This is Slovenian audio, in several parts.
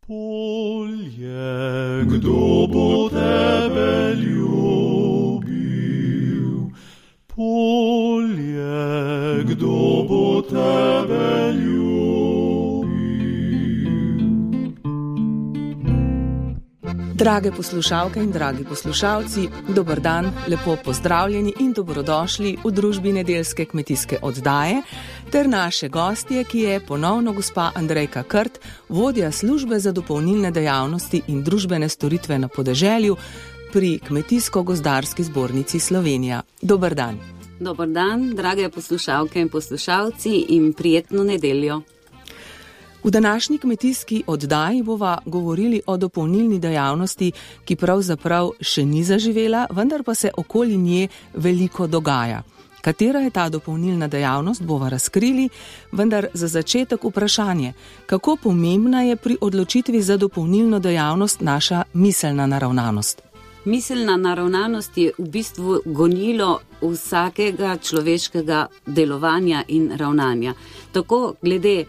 Polje, kdo bo tebe ljubil? Polje, kdo bo tebe ljubil? Drage poslušalke in dragi poslušalci, dober dan, lepo pozdravljeni in dobrodošli v družbi nedeljske kmetijske oddaje ter naše gostje, ki je ponovno gospa Andrejka Krt, vodja službe za dopolnilne dejavnosti in družbene storitve na podeželju pri Kmetijsko-gozdarski zbornici Slovenija. Dober dan. Dober dan, drage poslušalke in poslušalci in prijetno nedeljo. V današnji kmetijski oddaji bova govorili o dopolnilni dejavnosti, ki pravzaprav še ni zaživela, vendar pa se okoli nje veliko dogaja. Katera je ta dopolnilna dejavnost, bova razkrili, vendar za začetek vprašanje, kako pomembna je pri odločitvi za dopolnilno dejavnost naša miselna naravnanost? Miselna naravnanost je v bistvu gonilo vsakega človeškega delovanja in ravnanja. Tako glede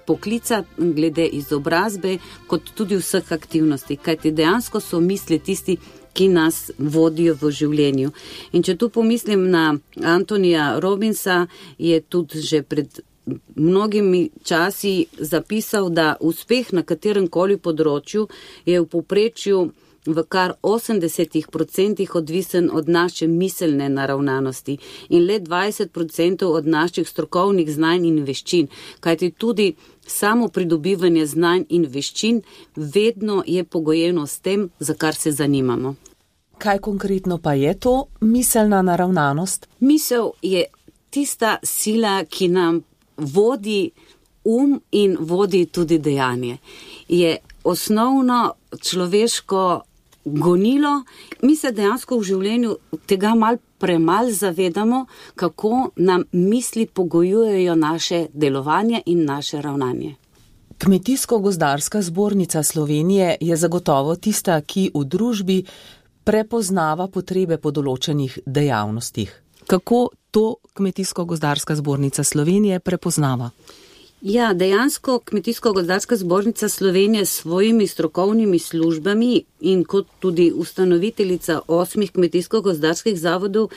poklica, glede izobrazbe, kot tudi vseh aktivnosti, kajti dejansko so misli tisti, ki nas vodijo v življenju. In če tu pomislim na Antonija Robbinsa, je tudi že pred mnogimi časi zapisal, da uspeh na katerem koli področju je v povprečju v kar 80% odvisen od naše miselne naravnanosti in le 20% od naših strokovnih znanj in veščin, kajti tudi samo pridobivanje znanj in veščin vedno je pogojeno s tem, za kar se zanimamo. Kaj konkretno pa je to miselna naravnanost? Misel je tista sila, ki nam vodi in vodi tudi dejanje. Je osnovno človeško gonilo. Mi se dejansko v življenju tega malo premalo zavedamo, kako nam misli pogojujejo naše delovanje in naše ravnanje. Kmetijsko-gozdarska zbornica Slovenije je zagotovo tista, ki v družbi prepoznava potrebe po določenih dejavnostih. Kako to Kmetijsko-gozdarska zbornica Slovenije prepoznava? Ja, dejansko Kmetijsko-gozdarska zbornica Slovenije s svojimi strokovnimi službami in kot tudi ustanoviteljica 8 kmetijsko-gozdarskih zavodov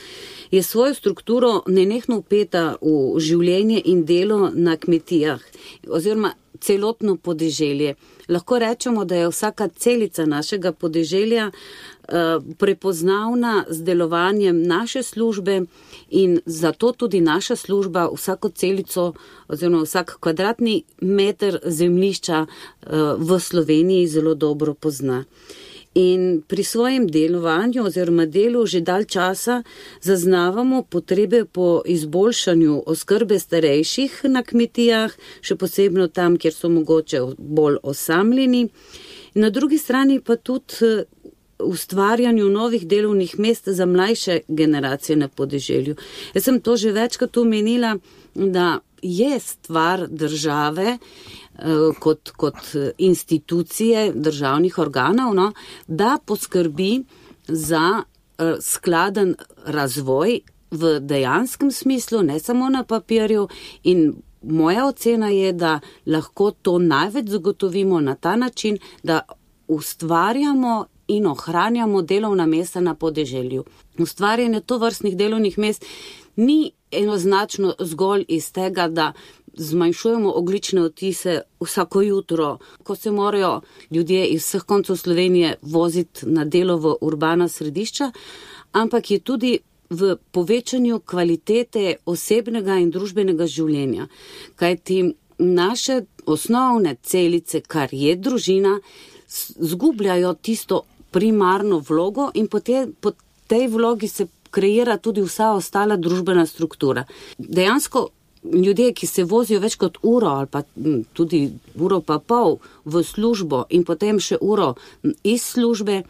je svojo strukturo nenehno vpeta v življenje in delo na kmetijah oziroma celotno podeželje. Lahko rečemo, da je vsaka celica našega podeželja prepoznavna z delovanjem naše službe in zato tudi naša služba vsako celico oziroma vsak kvadratni meter zemljišča v Sloveniji zelo dobro pozna. In pri svojem delovanju oziroma delu že dalj časa zaznavamo potrebe po izboljšanju oskrbe starejših na kmetijah, še posebno tam, kjer so mogoče bolj osamljeni. Na drugi strani pa tudi ustvarjanju novih delovnih mest za mlajše generacije na podeželju. Jaz sem to že večkrat omenila, da je stvar države kot institucije državnih organov, da poskrbi za skladen razvoj v dejanskem smislu, ne samo na papirju, in moja ocena je, da lahko to največ zagotovimo na ta način, da ustvarjamo in ohranjamo delovna mesta na podeželju. Ustvarjanje tovrstnih delovnih mest ni enoznačno zgolj iz tega, da zmanjšujemo ogljične odtise vsako jutro, ko se morajo ljudje iz vseh koncev Slovenije voziti na delo v urbana središča, ampak je tudi v povečanju kvalitete osebnega in družbenega življenja. Kajti naše osnovne celice, kar je družina, zgubljajo tisto primarno vlogo in po tej vlogi se kreira tudi vsa ostala družbena struktura. Dejansko ljudje, ki se vozijo več kot uro ali pa tudi uro pa pol v službo in potem še uro iz službe,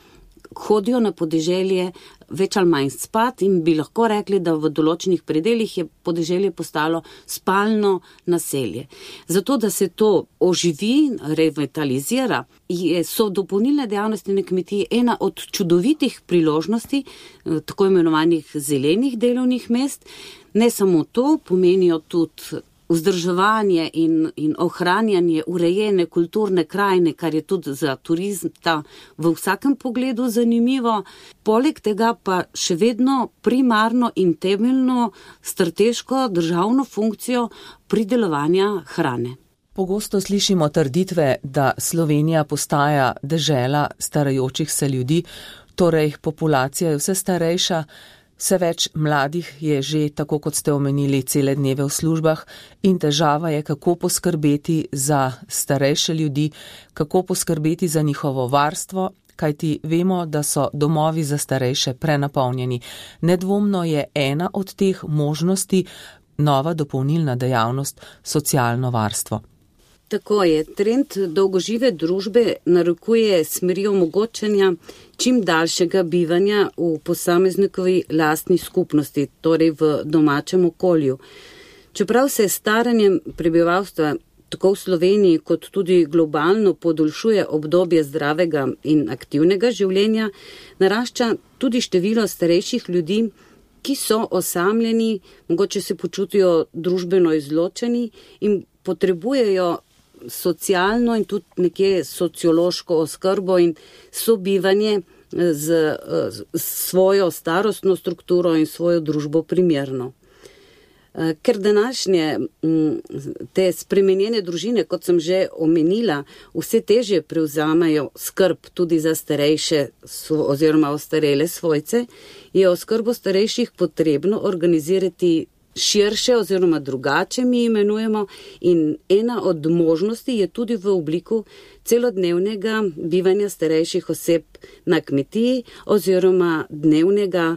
hodijo na podeželje več ali manj spat in bi lahko rekli, da v določenih predeljih je podeželje postalo spalno naselje. Zato, da se to oživi, revitalizira, so dopolnilne dejavnosti na kmetiji ena od čudovitih priložnosti, tako imenovanih zelenih delovnih mest. Ne samo to, pomenijo tudi vzdrževanje in ohranjanje urejene kulturne krajine, kar je tudi za turista v vsakem pogledu zanimivo. Poleg tega pa še vedno primarno in temeljno strateško državno funkcijo pridelovanja hrane. Pogosto slišimo trditve, da Slovenija postaja dežela starajočih se ljudi, torej populacija je vse starejša. Vse več mladih je že, tako kot ste omenili, cele dneve v službah in težava je, kako poskrbeti za starejše ljudi, kako poskrbeti za njihovo varstvo, kajti vemo, da so domovi za starejše prenapolnjeni. Nedvomno je ena od teh možnosti nova dopolnilna dejavnost socialno varstvo. Tako je. Trend dolgožive družbe narekuje smeri omogočanja čim daljšega bivanja v posameznikovi lastni skupnosti, torej v domačem okolju. Čeprav se staranjem prebivalstva tako v Sloveniji kot tudi globalno podaljšuje obdobje zdravega in aktivnega življenja, narašča tudi število starejših ljudi, ki so osamljeni, mogoče se počutijo družbeno izločeni in potrebujejo socialno in tudi nekje sociološko oskrbo in sobivanje z svojo starostno strukturo in svojo družbo primerno. Ker današnje te spremenjene družine, kot sem že omenila, vse težje prevzamajo skrb tudi za starejše oziroma ostarele svojce, je oskrbo starejših potrebno organizirati širše oziroma drugače mi imenujemo in ena od možnosti je tudi v obliku celodnevnega bivanja starejših oseb na kmetiji oziroma dnevnega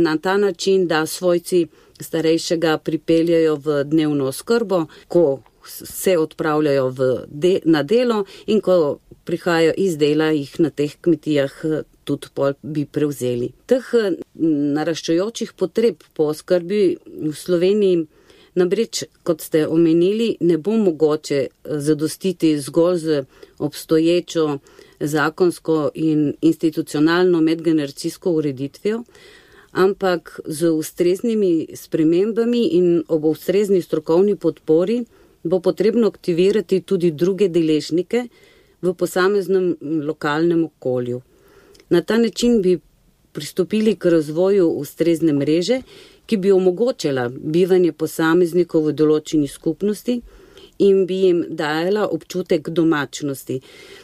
na ta način, da svojci starejšega pripeljajo v dnevno oskrbo, ko se odpravljajo na delo in ko prihajajo iz dela, jih na teh kmetijah tudi pol bi prevzeli. Teh naraščajočih potreb po oskrbi v Sloveniji namreč, kot ste omenili, ne bo mogoče zadostiti zgolj z obstoječo zakonsko in institucionalno medgeneracijsko ureditvijo, ampak z ustreznimi spremembami in ob ustrezni strokovni podpori bo potrebno aktivirati tudi druge deležnike v posameznem lokalnem okolju. Na ta način bi pristopili k razvoju ustrezne mreže, ki bi omogočila bivanje posameznikov v določeni skupnosti in bi jim dajala občutek domačnosti.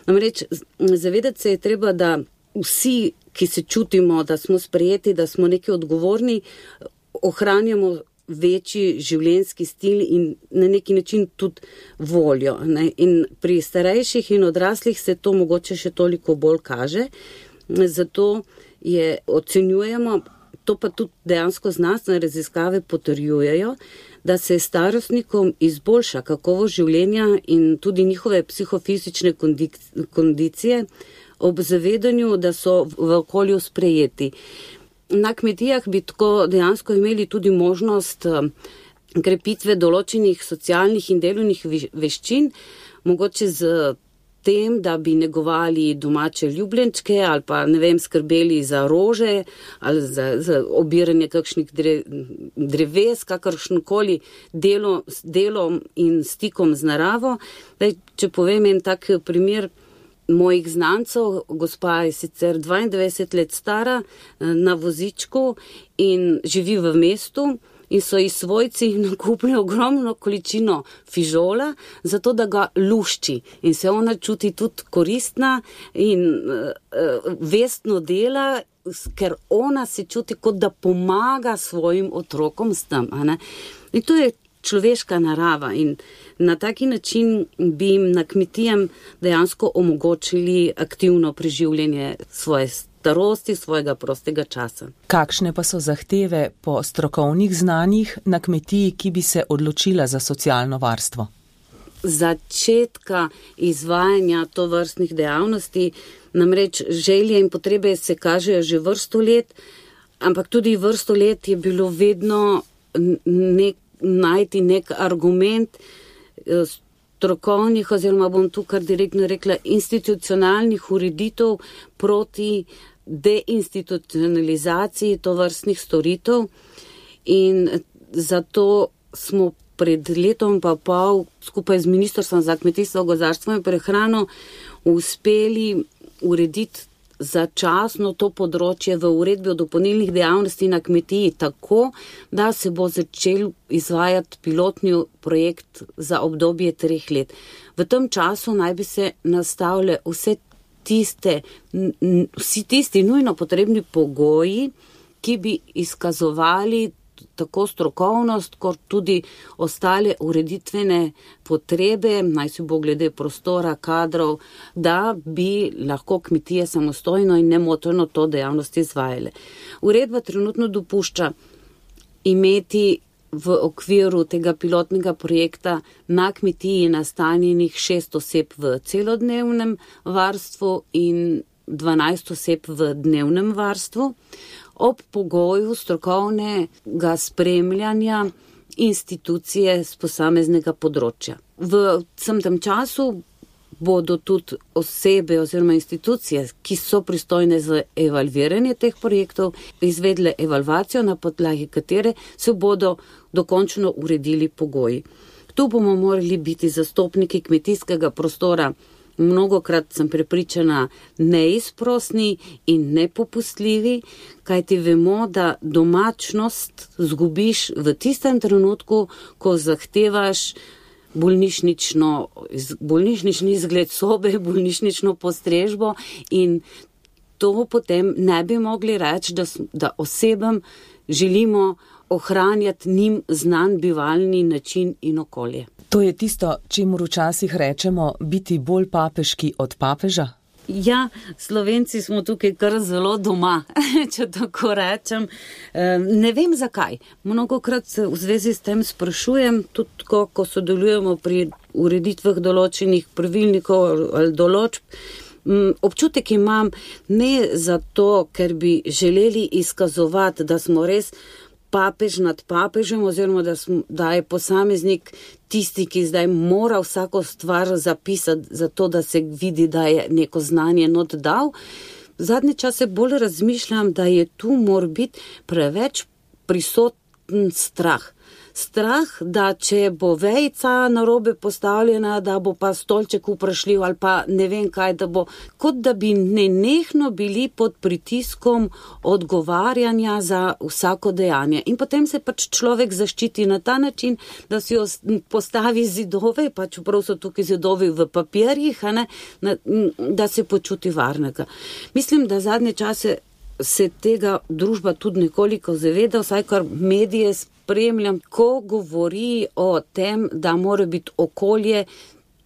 Namreč zavedati se je treba, da vsi, ki se čutimo, da smo sprejeti, da smo neki odgovorni, ohranjamo večji življenjski stil in na neki način tudi voljo. In pri starejših in odraslih se to mogoče še toliko bolj kaže. Zato ocenjujemo, to pa tudi dejansko znanstvene raziskave potrjujejo, da se starostnikom izboljša kakovost življenja in tudi njihove psihofizične kondicije ob zavedanju, da so v okolju sprejeti. Na kmetijah bi tako dejansko imeli tudi možnost krepitve določenih socialnih in delovnih veščin, mogoče z tem, da bi negovali domače ljubljenčke ali pa, skrbeli za rože ali za obiranje kakšnih dreves, kakršnokoli delom in stikom z naravo. Če povem en tak primer mojih znancev, gospa je sicer 22 let stara, na vozičku in živi v mestu, in so ji svojci nakupili ogromno količino fižola, zato da ga lušči. In se ona čuti tudi koristna in vestno dela, ker ona se čuti, kot da pomaga svojim otrokom s tem. In to je človeška narava in na taki način bi jim na kmetijem dejansko omogočili aktivno preživljanje svoje starosti, svojega prostega časa. Kakšne pa so zahteve po strokovnih znanjih na kmetiji, ki bi se odločila za socialno varstvo? Začetka izvajanja tovrstnih dejavnosti, namreč želje in potrebe se kažejo že vrsto let, ampak tudi vrsto let je bilo vedno najti nek argument strokovnih, oziroma bom tu kar direktno rekla, institucionalnih ureditev proti deinstitucionalizaciji tovrstnih storitev in zato smo pred letom pa pol skupaj z Ministrstvom za kmetijstvo, gozdarstvo in prehrano uspeli urediti začasno to področje v uredbi o dopolnilnih dejavnosti na kmetiji tako, da se bo začel izvajati pilotni projekt za obdobje 3 let. V tem času naj bi se nastavile vsi tisti nujno potrebni pogoji, ki bi izkazovali tako strokovnost, kot tudi ostale ureditvene potrebe, naj si bo glede prostora, kadrov, da bi lahko kmetije samostojno in nemoteno to dejavnost izvajale. Uredba trenutno dopušča imeti v okviru tega pilotnega projekta na kmetiji nastanjenih 6 oseb v celodnevnem varstvu in 12 oseb v dnevnem varstvu, ob pogoju strokovnega spremljanja institucije z posameznega področja. V vsem tem času bodo tudi osebe oziroma institucije, ki so pristojne za evalviranje teh projektov, izvedle evalvacijo, na podlagi katere se bodo dokončno uredili pogoji. Tu bomo morali biti zastopniki kmetijskega prostora, mnogokrat sem prepričana, neizprosni in nepopustljivi, kajti vemo, da domačnost zgubiš v tistem trenutku, ko zahtevaš bolnišnični izgled sobe, bolnišnično postrežbo in to potem ne bi mogli reči, da osebam želimo ohranjati njim znan bivalni način in okolje. To je tisto, čemur včasih rečemo biti bolj papeški od papeža? Ja, Slovenci smo tukaj kar zelo doma, če tako rečem. Ne vem zakaj. Mnogokrat se v zvezi s tem sprašujem, tudi ko sodelujemo pri ureditvah določenih pravilnikov ali določb. Občutek imam ne zato, ker bi želeli izkazovati, da smo res papež nad papežem oziroma da je posameznik tisti, ki zdaj mora vsako stvar zapisati zato, da se vidi, da je neko znanje not dal. Zadnje čase bolj razmišljam, da je tu mora biti preveč prisoten strah. Strah, da če bo vejica narobe postavljena, da bo pa stolček vprašljiv ali pa ne vem kaj, da bo, kot da bi nenehno bili pod pritiskom odgovarjanja za vsako dejanje. In potem se pač človek zaščiti na ta način, da si postavi zidove, pa čeprav so tukaj zidovi v papirjih, da se počuti varnega. Mislim, da zadnje čase se tega družba tudi nekoliko zaveda, vsaj kar medije spremljam, ko govori o tem, da mora biti okolje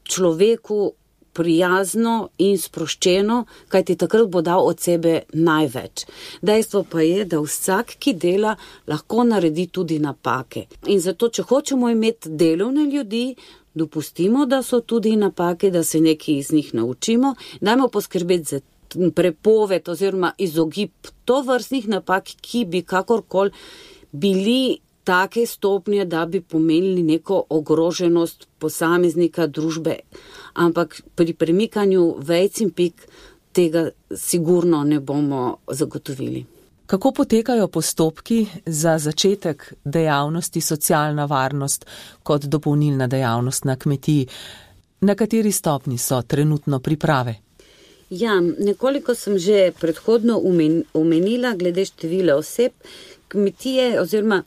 človeku prijazno in sproščeno, kajti takrat bo dal od sebe največ. Dejstvo pa je, da vsak, ki dela, lahko naredi tudi napake. In zato, če hočemo imeti delovne ljudi, dopustimo, da so tudi napake, da se nekaj iz njih naučimo, dajmo poskrbeti za prepoved oziroma izogib tovrstnih napak, ki bi kakorkoli bili take stopnje, da bi pomenili neko ogroženost posameznika družbe. Ampak pri premikanju vejc in pik tega sigurno ne bomo zagotovili. Kako potekajo postopki za začetek dejavnosti socialna varnost kot dopolnilna dejavnost na kmetiji? Na kateri stopni so trenutno priprave? Ja, nekoliko sem že predhodno omenila glede števila oseb. Kmetije oziroma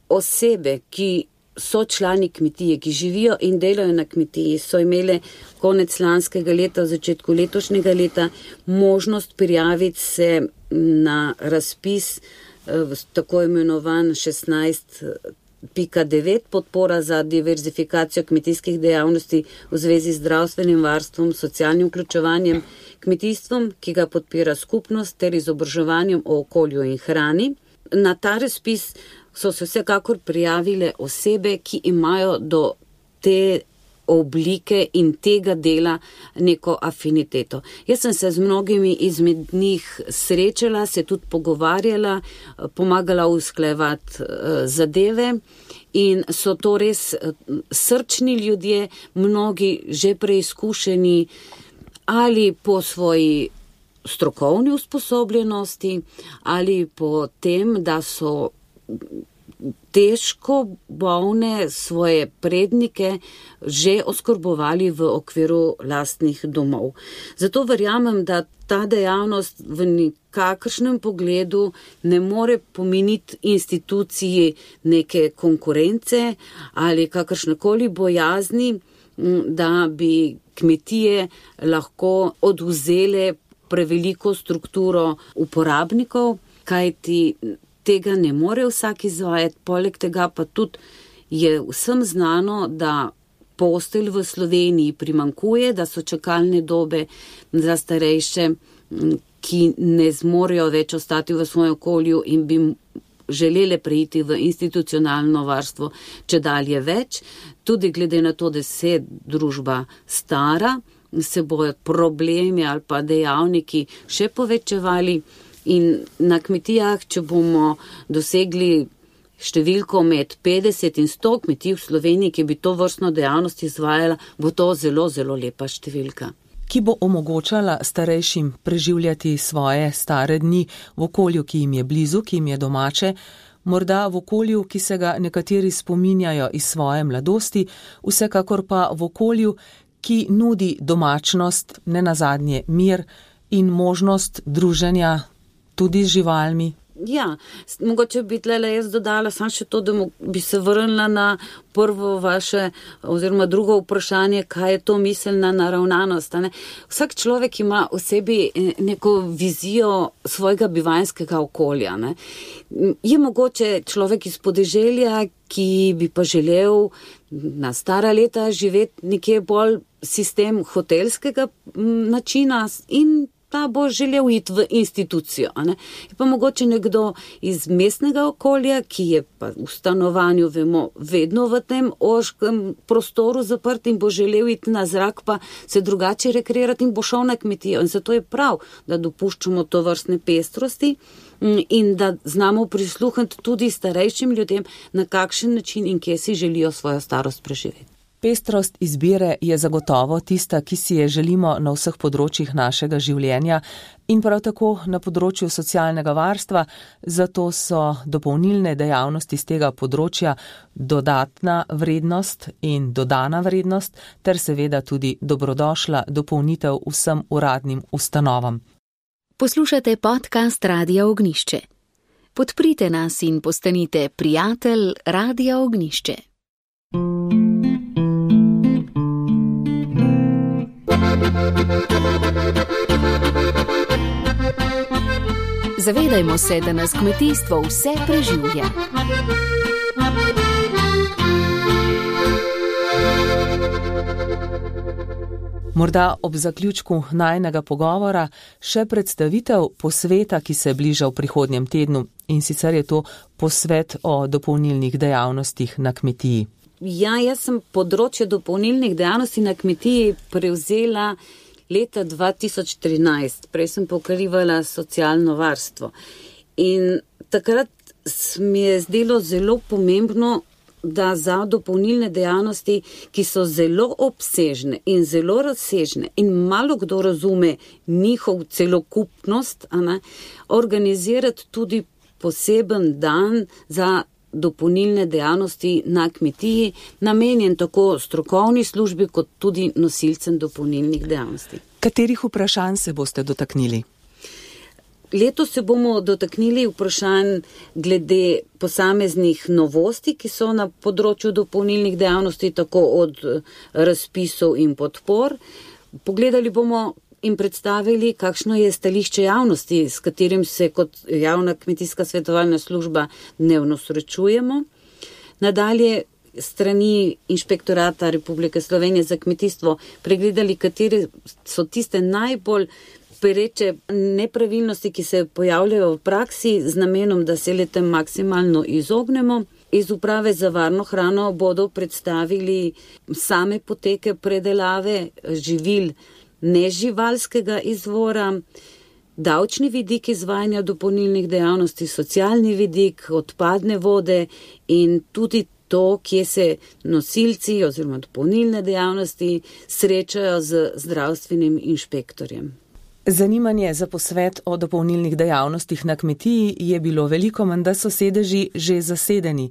osebe, ki so člani kmetije, ki živijo in delajo na kmetiji, so imele konec lanskega leta, v začetku letošnjega leta možnost prijaviti se na razpis tako imenovan 16.9 podpora za diverzifikacijo kmetijskih dejavnosti v zvezi z zdravstvenim varstvom, socialnim vključevanjem, kmetijstvom, ki ga podpira skupnost, ter izobraževanjem o okolju in hrani. Na ta razpis so se vsekakor prijavile osebe, ki imajo do te oblike in tega dela neko afiniteto. Jaz sem se z mnogimi izmed njih srečala, se tudi pogovarjala, pomagala usklajevati zadeve in so to res srčni ljudje, mnogi že preizkušeni ali po svoji strokovni usposobljenosti ali po tem, da so težko bolne svoje prednike že oskrbovali v okviru lastnih domov. Zato verjamem, da ta dejavnost v nikakršnem pogledu ne more pomeniti instituciji neke konkurence ali kakršnekoli bojazni, da bi kmetije lahko odvzele preveliko strukturo uporabnikov, kajti tega ne more vsak izvajati. Poleg tega pa tudi je vsem znano, da postelj v Sloveniji primanjkuje, da so čakalne dobe za starejše, ki ne zmorejo več ostati v svojem okolju in bi želele preiti v institucionalno varstvo čedalje več. Tudi glede na to, da se družba stara, se bojo problemi ali pa dejavniki še povečevali in na kmetijah, če bomo dosegli številko med 50 in 100 kmetij v Sloveniji, ki bi to vrstno dejavnost izvajala, bo to zelo, zelo lepa številka. Ki bo omogočala starejšim preživljati svoje stare dni v okolju, ki jim je blizu, ki jim je domače, morda v okolju, ki se ga nekateri spominjajo iz svoje mladosti, vsekakor pa v okolju, ki nudi domačnost, nenazadnje mir in možnost druženja tudi z živalmi. Ja, mogoče bi tlele jaz dodala samo še to, da bi se vrnila na prvo vaše oziroma drugo vprašanje, kaj je to miselna naravnanost. Ne? Vsak človek ima v sebi neko vizijo svojega bivanjskega okolja. Ne? Je mogoče človek iz podeželja, ki bi pa želel na stara leta živeti nekje bolj sistem hotelskega načina in ta bo želel iti v institucijo. Ne? Je pa mogoče nekdo iz mestnega okolja, ki je pa v stanovanju, vemo, vedno v tem ožkem prostoru zaprt in bo želel iti na zrak, pa se drugače rekreirati in bo šel na kmetijo. In zato je prav, da dopuščamo to vrstne pestrosti in da znamo prisluhniti tudi starejšim ljudem, na kakšen način in kje si želijo svojo starost preživeti. Pestrost izbire je zagotovo tista, ki si je želimo na vseh področjih našega življenja in prav tako na področju socialnega varstva, zato so dopolnilne dejavnosti z tega področja dodatna vrednost in dodana vrednost ter seveda tudi dobrodošla dopolnitev vsem uradnim ustanovam. Poslušate podcast Radia Ognjišče. Podprite nas in postanite prijatelj Radia Ognjišče. Zavedajmo se, da nas kmetijstvo vse preživlja. Morda ob zaključku najinega pogovora še predstavitev posveta, ki se bliža v prihodnjem tednu, in sicer je to posvet o dopolnilnih dejavnostih na kmetiji. Ja, jaz sem področje dopolnilnih dejavnosti na kmetiji prevzela leta 2013. Prej sem pokrivala socialno varstvo. In takrat mi je zdelo zelo pomembno, da za dopolnilne dejavnosti, ki so zelo obsežne in zelo razsežne in malo kdo razume njihov celokupnost, organizirati tudi poseben dan za dopolnilne dejavnosti na kmetiji, namenjen tako strokovni službi, kot tudi nosilcem dopolnilnih dejavnosti. Katerih vprašanj se boste dotaknili? Letos se bomo dotaknili vprašanj glede posameznih novosti, ki so na področju dopolnilnih dejavnosti, tako od razpisov in podpor. Pogledali bomo in predstavili, kakšno je stališče javnosti, s katerim se kot javna kmetijska svetovalna služba dnevno srečujemo. Nadalje strani Inšpektorata Republike Slovenije za kmetijstvo pregledali, katere so tiste najbolj pereče nepravilnosti, ki se pojavljajo v praksi z namenom, da se le tem maksimalno izognemo. Iz Uprave za varno hrano bodo predstavili same poteke predelave živil neživalskega izvora, davčni vidik izvajanja dopolnilnih dejavnosti, socialni vidik, odpadne vode in tudi to, kje se nosilci oziroma dopolnilne dejavnosti srečajo z zdravstvenim inšpektorjem. Zanimanje za posvet o dopolnilnih dejavnostih na kmetiji je bilo veliko, menda so sedeži že zasedeni.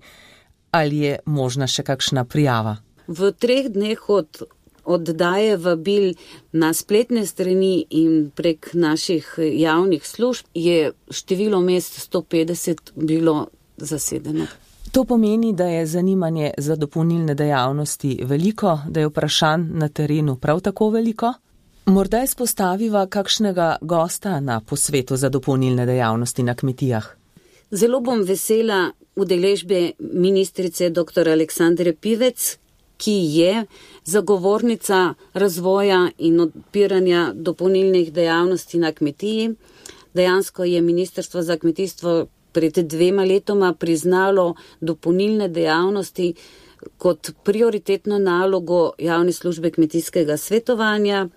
Ali je možna še kakšna prijava? V 3 dneh od oddaje vabil na spletne strani in prek naših javnih služb je število mest 150 bilo zasedeno. To pomeni, da je zanimanje za dopolnilne dejavnosti veliko, da je vprašanj na terenu prav tako veliko? Morda izpostaviva kakšnega gosta na posvetu za dopolnilne dejavnosti na kmetijah. Zelo bom vesela udeležbe ministrice dr. Aleksandre Pivec, ki je zagovornica razvoja in odpiranja dopolnilnih dejavnosti na kmetiji. Dejansko je Ministrstvo za kmetijstvo pred 2 letoma priznalo dopolnilne dejavnosti kot prioritetno nalogo javne službe kmetijskega svetovanja.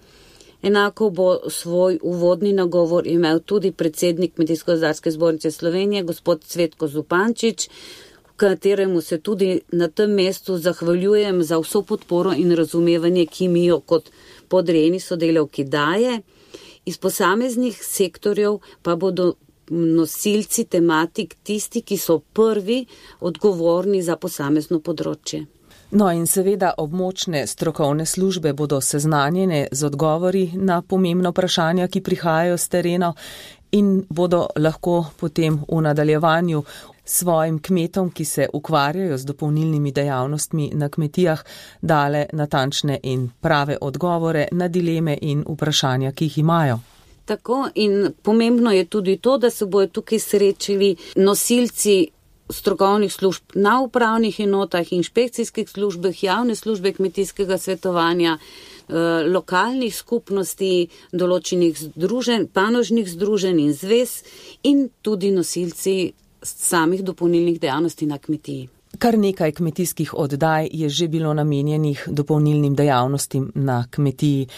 Enako bo svoj uvodni nagovor imel tudi predsednik Kmetijsko-gozdarske zbornice Slovenije, gospod Cvetko Zupančič, v kateremu se tudi na tem mestu zahvaljujem za vso podporo in razumevanje, ki mi jo kot podrejeni sodelavki daje. Iz posameznih sektorjev pa bodo nosilci tematik tisti, ki so prvi odgovorni za posamezno področje. No in seveda območne strokovne službe bodo seznanjene z odgovori na pomembna vprašanja, ki prihajajo s terena in bodo lahko potem v nadaljevanju svojim kmetom, ki se ukvarjajo z dopolnilnimi dejavnostmi na kmetijah, dale natančne in prave odgovore na dileme in vprašanja, ki jih imajo. Tako, in pomembno je tudi to, da se bojo tukaj srečili nosilci strokovnih služb na upravnih enotah, inšpekcijskih službah, javne službe kmetijskega svetovanja, lokalnih skupnosti, določenih združenj, panožnih združenj in zvez in tudi nosilci samih dopolnilnih dejavnosti na kmetiji. Kar nekaj kmetijskih oddaj je že bilo namenjenih dopolnilnim dejavnostim na kmetiji.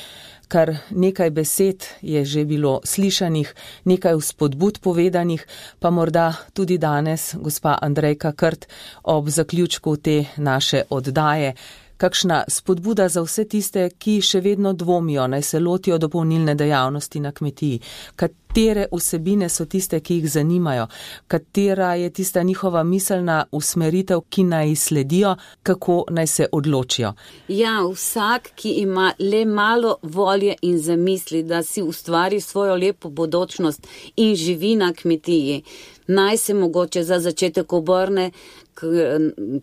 Kar nekaj besed je že bilo slišanih, nekaj vzpodbud povedanih, pa morda tudi danes, gospa Andrejka Krt, ob zaključku te naše oddaje, kakšna spodbuda za vse tiste, ki še vedno dvomijo, naj se lotijo dopolnilne dejavnosti na kmetiji. Katere vsebine so tiste, ki jih zanimajo? Katera je tista njihova miselna usmeritev, ki naj sledijo, kako naj se odločijo? Ja, vsak, ki ima le malo volje in zamisli, da si ustvari svojo lepo bodočnost in živi na kmetiji, naj se mogoče za začetek obrne k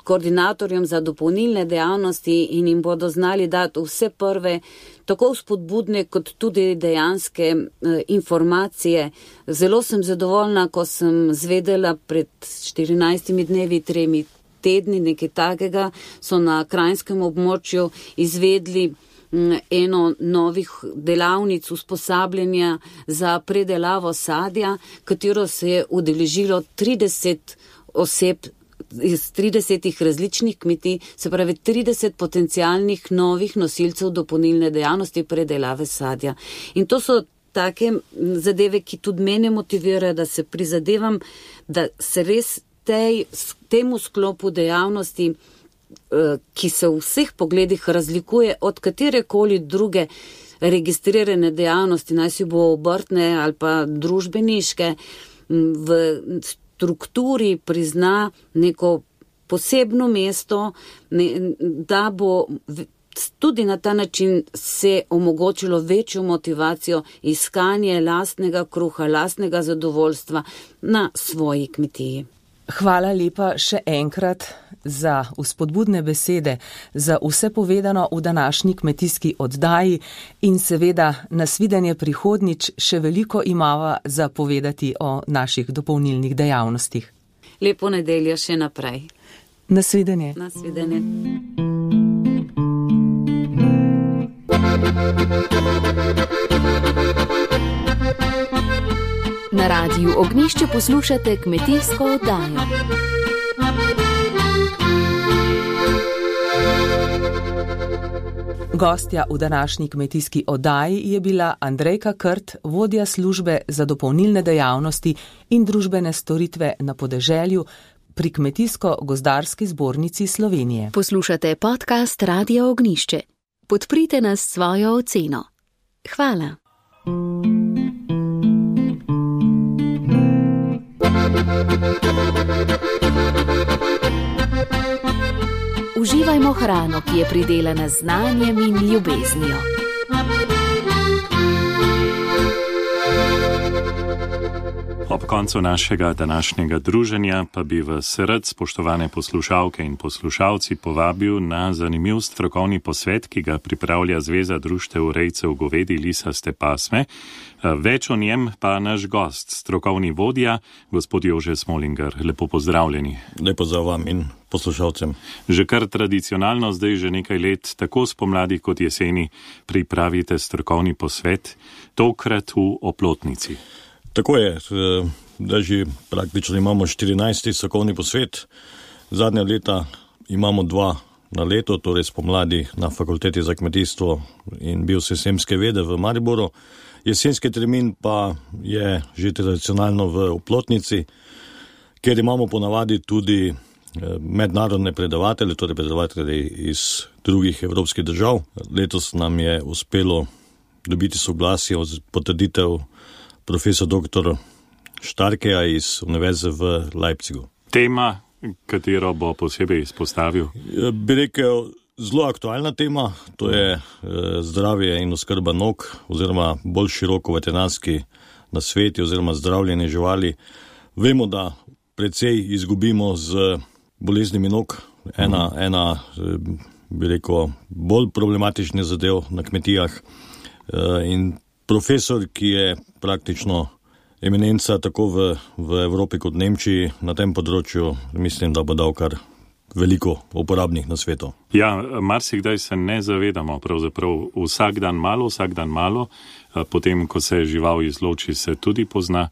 koordinatorjem za dopolnilne dejavnosti in jim bodo znali dati vse prve, tako vzpodbudne kot tudi dejanske informacije. Zelo sem zadovoljna, ko sem zvedela pred 14 dnevi, 3 tedni, nekaj takega, so na krajnskem območju izvedli eno novih delavnic usposabljanja za predelavo sadja, katero se je udeležilo 30 oseb iz 30 različnih kmetij, se pravi 30 potencialnih novih nosilcev dopolnilne dejavnosti predelave sadja. In to so take zadeve, ki tudi mene motivirajo, da se prizadevam, da se res temu sklopu dejavnosti, ki se v vseh pogledih razlikuje od katerekoli druge registrirane dejavnosti, naj si bo obrtne ali pa družbeniške, v strukturi prizna neko posebno mesto, da bo tudi na ta način se omogočilo večjo motivacijo iskanje lastnega kruha, lastnega zadovoljstva na svoji kmetiji. Hvala lepa še enkrat za vzpodbudne besede, za vse povedano v današnji kmetijski oddaji in seveda nasvidenje prihodnjič, še veliko imava za povedati o naših dopolnilnih dejavnostih. Lepo nedeljo še naprej. Nasvidenje. Nasvidenje. Na Radiu Ognjišče poslušate kmetijsko oddajo. Gostja v današnji kmetijski oddaji je bila Andrejka Krt, vodja službe za dopolnilne dejavnosti in družbene storitve na podeželju pri Kmetijsko-gozdarski zbornici Slovenije. Poslušate podcast Radia Ognjišče. Podprite nas s svojo oceno. Hvala. Uživajmo hrano, ki je pridelana z znanjem in ljubeznijo. Ob koncu našega današnjega druženja pa bi vas rad, spoštovane poslušalke in poslušalci, povabil na zanimiv strokovni posvet, ki ga pripravlja Zveza društev rejcev govedi lisaste pasme. Več o njem pa naš gost, strokovni vodja, gospod Jože Smolinger. Lepo pozdravljeni. Lepo za vam in poslušalcem. Že kar tradicionalno, zdaj že nekaj let, tako spomladi kot jeseni, pripravite strokovni posvet, tokrat v Oplotnici. Tako je, da že praktično imamo 14. strokovni posvet. Zadnja leta imamo 2 na leto, torej spomladi na Fakulteti za kmetijstvo in biosistemske vede v Mariboru. Jesenski termin pa je že tradicionalno v Oplotnici, kjer imamo ponavadi tudi mednarodne predavatelje, torej predavatelje iz drugih evropskih držav. Letos nam je uspelo dobiti soglasje, potrditev profesor dr. Štarkeja iz Univerze v Leipzigu. Tema, katero bo posebej izpostavil? Bi rekel, zelo aktualna tema, to je zdravje in oskrba nog, oziroma bolj široko veterinarski nasveti oziroma zdravljenje živali. Vemo, da precej izgubimo z boleznimi nog. Ena bi rekel, bolj problematični zadev na kmetijah. In profesor, ki je praktično eminenca tako v Evropi kot Nemčiji na tem področju, mislim, da bo dal kar veliko uporabnih nasvetov. Ja, marsikdaj se ne zavedamo, pravzaprav vsak dan malo, potem, ko se žival izloči, se tudi pozna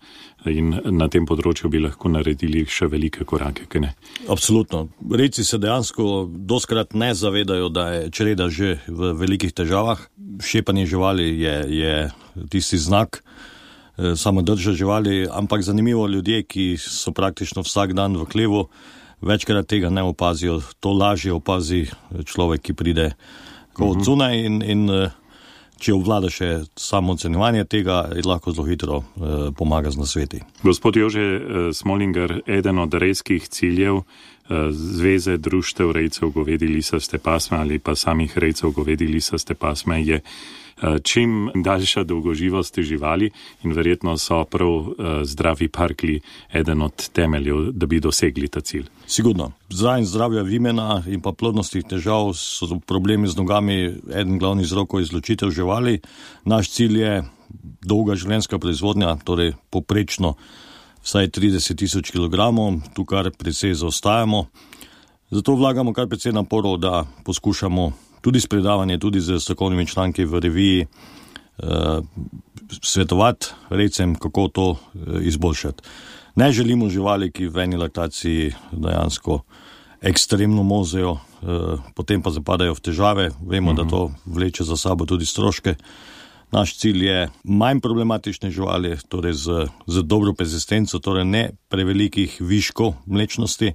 in na tem področju bi lahko naredili še velike korake, kaj ne? Absolutno. Rejci se dejansko doskrat ne zavedajo, da je čreda že v velikih težavah. Šepanje živali je tisti znak, samo drža živali, ampak zanimivo, ljudje, ki so praktično vsak dan v hlevu, večkrat tega ne opazijo. To lažje opazi človek, ki pride od zunaj in če obvlada še samo ocenjevanje tega, lahko zelo hitro pomaga z nasveti. Gospod Jože Smolinger, eden od rejskih ciljev Zveze društev rejcev govedi lisaste pasme ali pa samih rejcev govedi lisaste pasme je čim daljša dolgoživost živali in verjetno so prav zdravi parklji eden od temeljev, da bi dosegli ta cilj. Sigurno. Zdravja vimena in pa plodnostnih težav so problemi z nogami eden glavnih vzrokov izločitev živali. Naš cilj je dolga življenjska proizvodnja, torej poprečno vsaj 30.000 kilogramov, tu kar precej zaostajamo. Zato vlagamo kar precej naporov, da poskušamo tudi s predavanjem, tudi z strokovnimi članki v reviji svetovati rejcem, kako to izboljšati. Ne želimo živali, ki v eni laktaciji dejansko ekstremno mozejo, potem pa zapadajo v težave. Vemo, da to vleče za sabo tudi stroške. Naš cilj je manj problematične živali, torej z dobro persistenco, torej ne prevelikih viškov mlečnosti,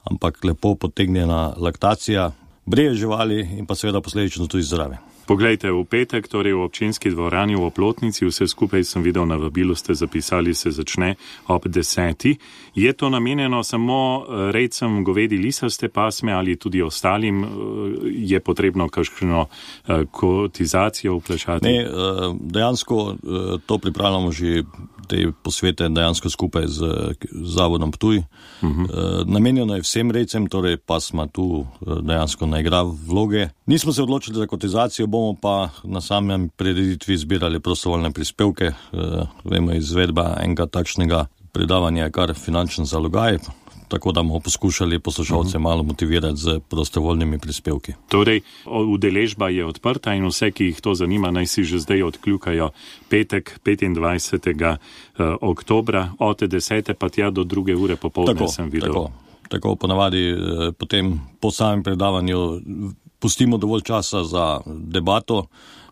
ampak lepo potegnjena laktacija, breje živali in pa seveda posledično tudi zdrave. Poglejte, v petek, torej v občinski dvorani v Oplotnici, vse skupaj sem videl na vabilu, ste zapisali, se začne ob 10. Je to namenjeno samo rejcem govedi lisaste pasme ali tudi ostalim? Je potrebno kakšno kotizacijo vplačati? Ne, dejansko to pripravljamo že te posvete dejansko skupaj z Zavodom Ptuj. Namenjeno je vsem rejcem, torej pasma tu dejansko ne igra vloge. Nismo se odločili za kotizacijo, bomo pa na samem prireditvi zbirali prostovoljne prispevke. Vemo, izvedba enega takšnega predavanja je kar finančen zalogaj, tako da bomo poskušali poslušalce malo motivirati z prostovoljnimi prispevki. Torej, udeležba je odprta in vse, ki jih to zanima, naj si že zdaj odkljukajo petek 25. oktobra od 10. pa tja do 2. ure popoldne sem videl. Tako ponavadi potem po samem predavanju pustimo dovolj časa za debato.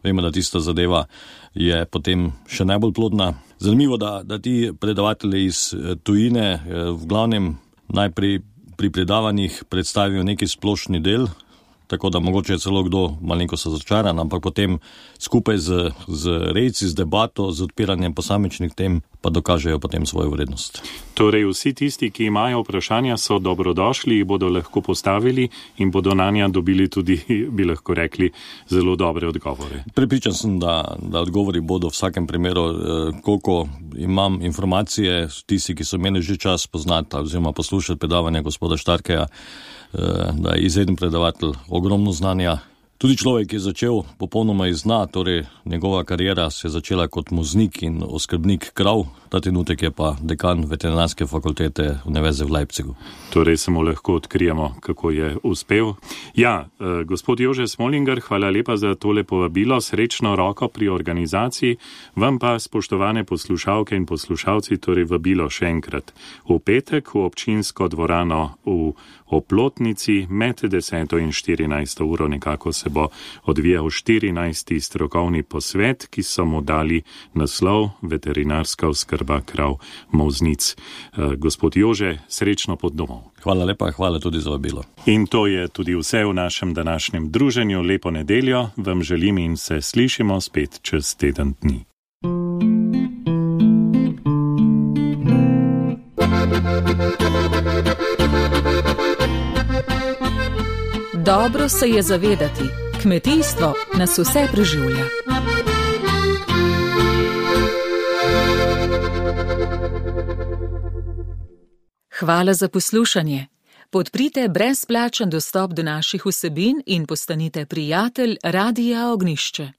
Vemo, da tista zadeva je potem še najbolj plodna. Zanimivo, da ti predavatelji iz tujine v glavnem najprej pri predavanjih predstavijo neki splošni del, tako da mogoče je celo kdo malenkost razočaran, ampak potem skupaj z rejci, z debato, z odpiranjem posamičnih tem, pa dokažejo potem svojo vrednost. Torej vsi tisti, ki imajo vprašanja, so dobrodošli, jih bodo lahko postavili in bodo na nja dobili tudi, bi lahko rekli, zelo dobre odgovore. Prepričan sem, da odgovori bodo v vsakem primeru, koliko imam informacije, tisti, ki so imeli že čas poznati oziroma poslušati predavanja gospoda Štarkeja, da je izreden predavatelj, ogromno znanja. Tudi človek, ki je začel popolnoma iz dna, torej njegova karijera se je začela kot voznik in oskrbnik krav, ta trenutek je pa dekan veterinarske fakultete Univerze v Leipzigu. Torej samo lahko odkrijemo, kako je uspel. Ja, gospod Jože Smolinger, hvala lepa za tole povabilo, srečno roko pri organizaciji, vam pa, spoštovane poslušalke in poslušalci, torej vabilo še enkrat. V petek v občinsko dvorano v Oplotnici med 10. in 14. uro nekako se bo odvijal 14. strokovni posvet, ki so mu dali naslov Veterinarska oskrba krav molznic. Gospod Jože, srečno pot domov. Hvala lepa, hvala tudi za vabilo. In to je tudi vse v našem današnjem druženju. Lepo nedeljo vam želim in se slišimo spet čez teden dni. Dobro se je zavedati, kmetijstvo nas vse preživlja. Hvala za poslušanje. Podprite brezplačen dostop do naših vsebin in postanite prijatelj Radia Ognjišče.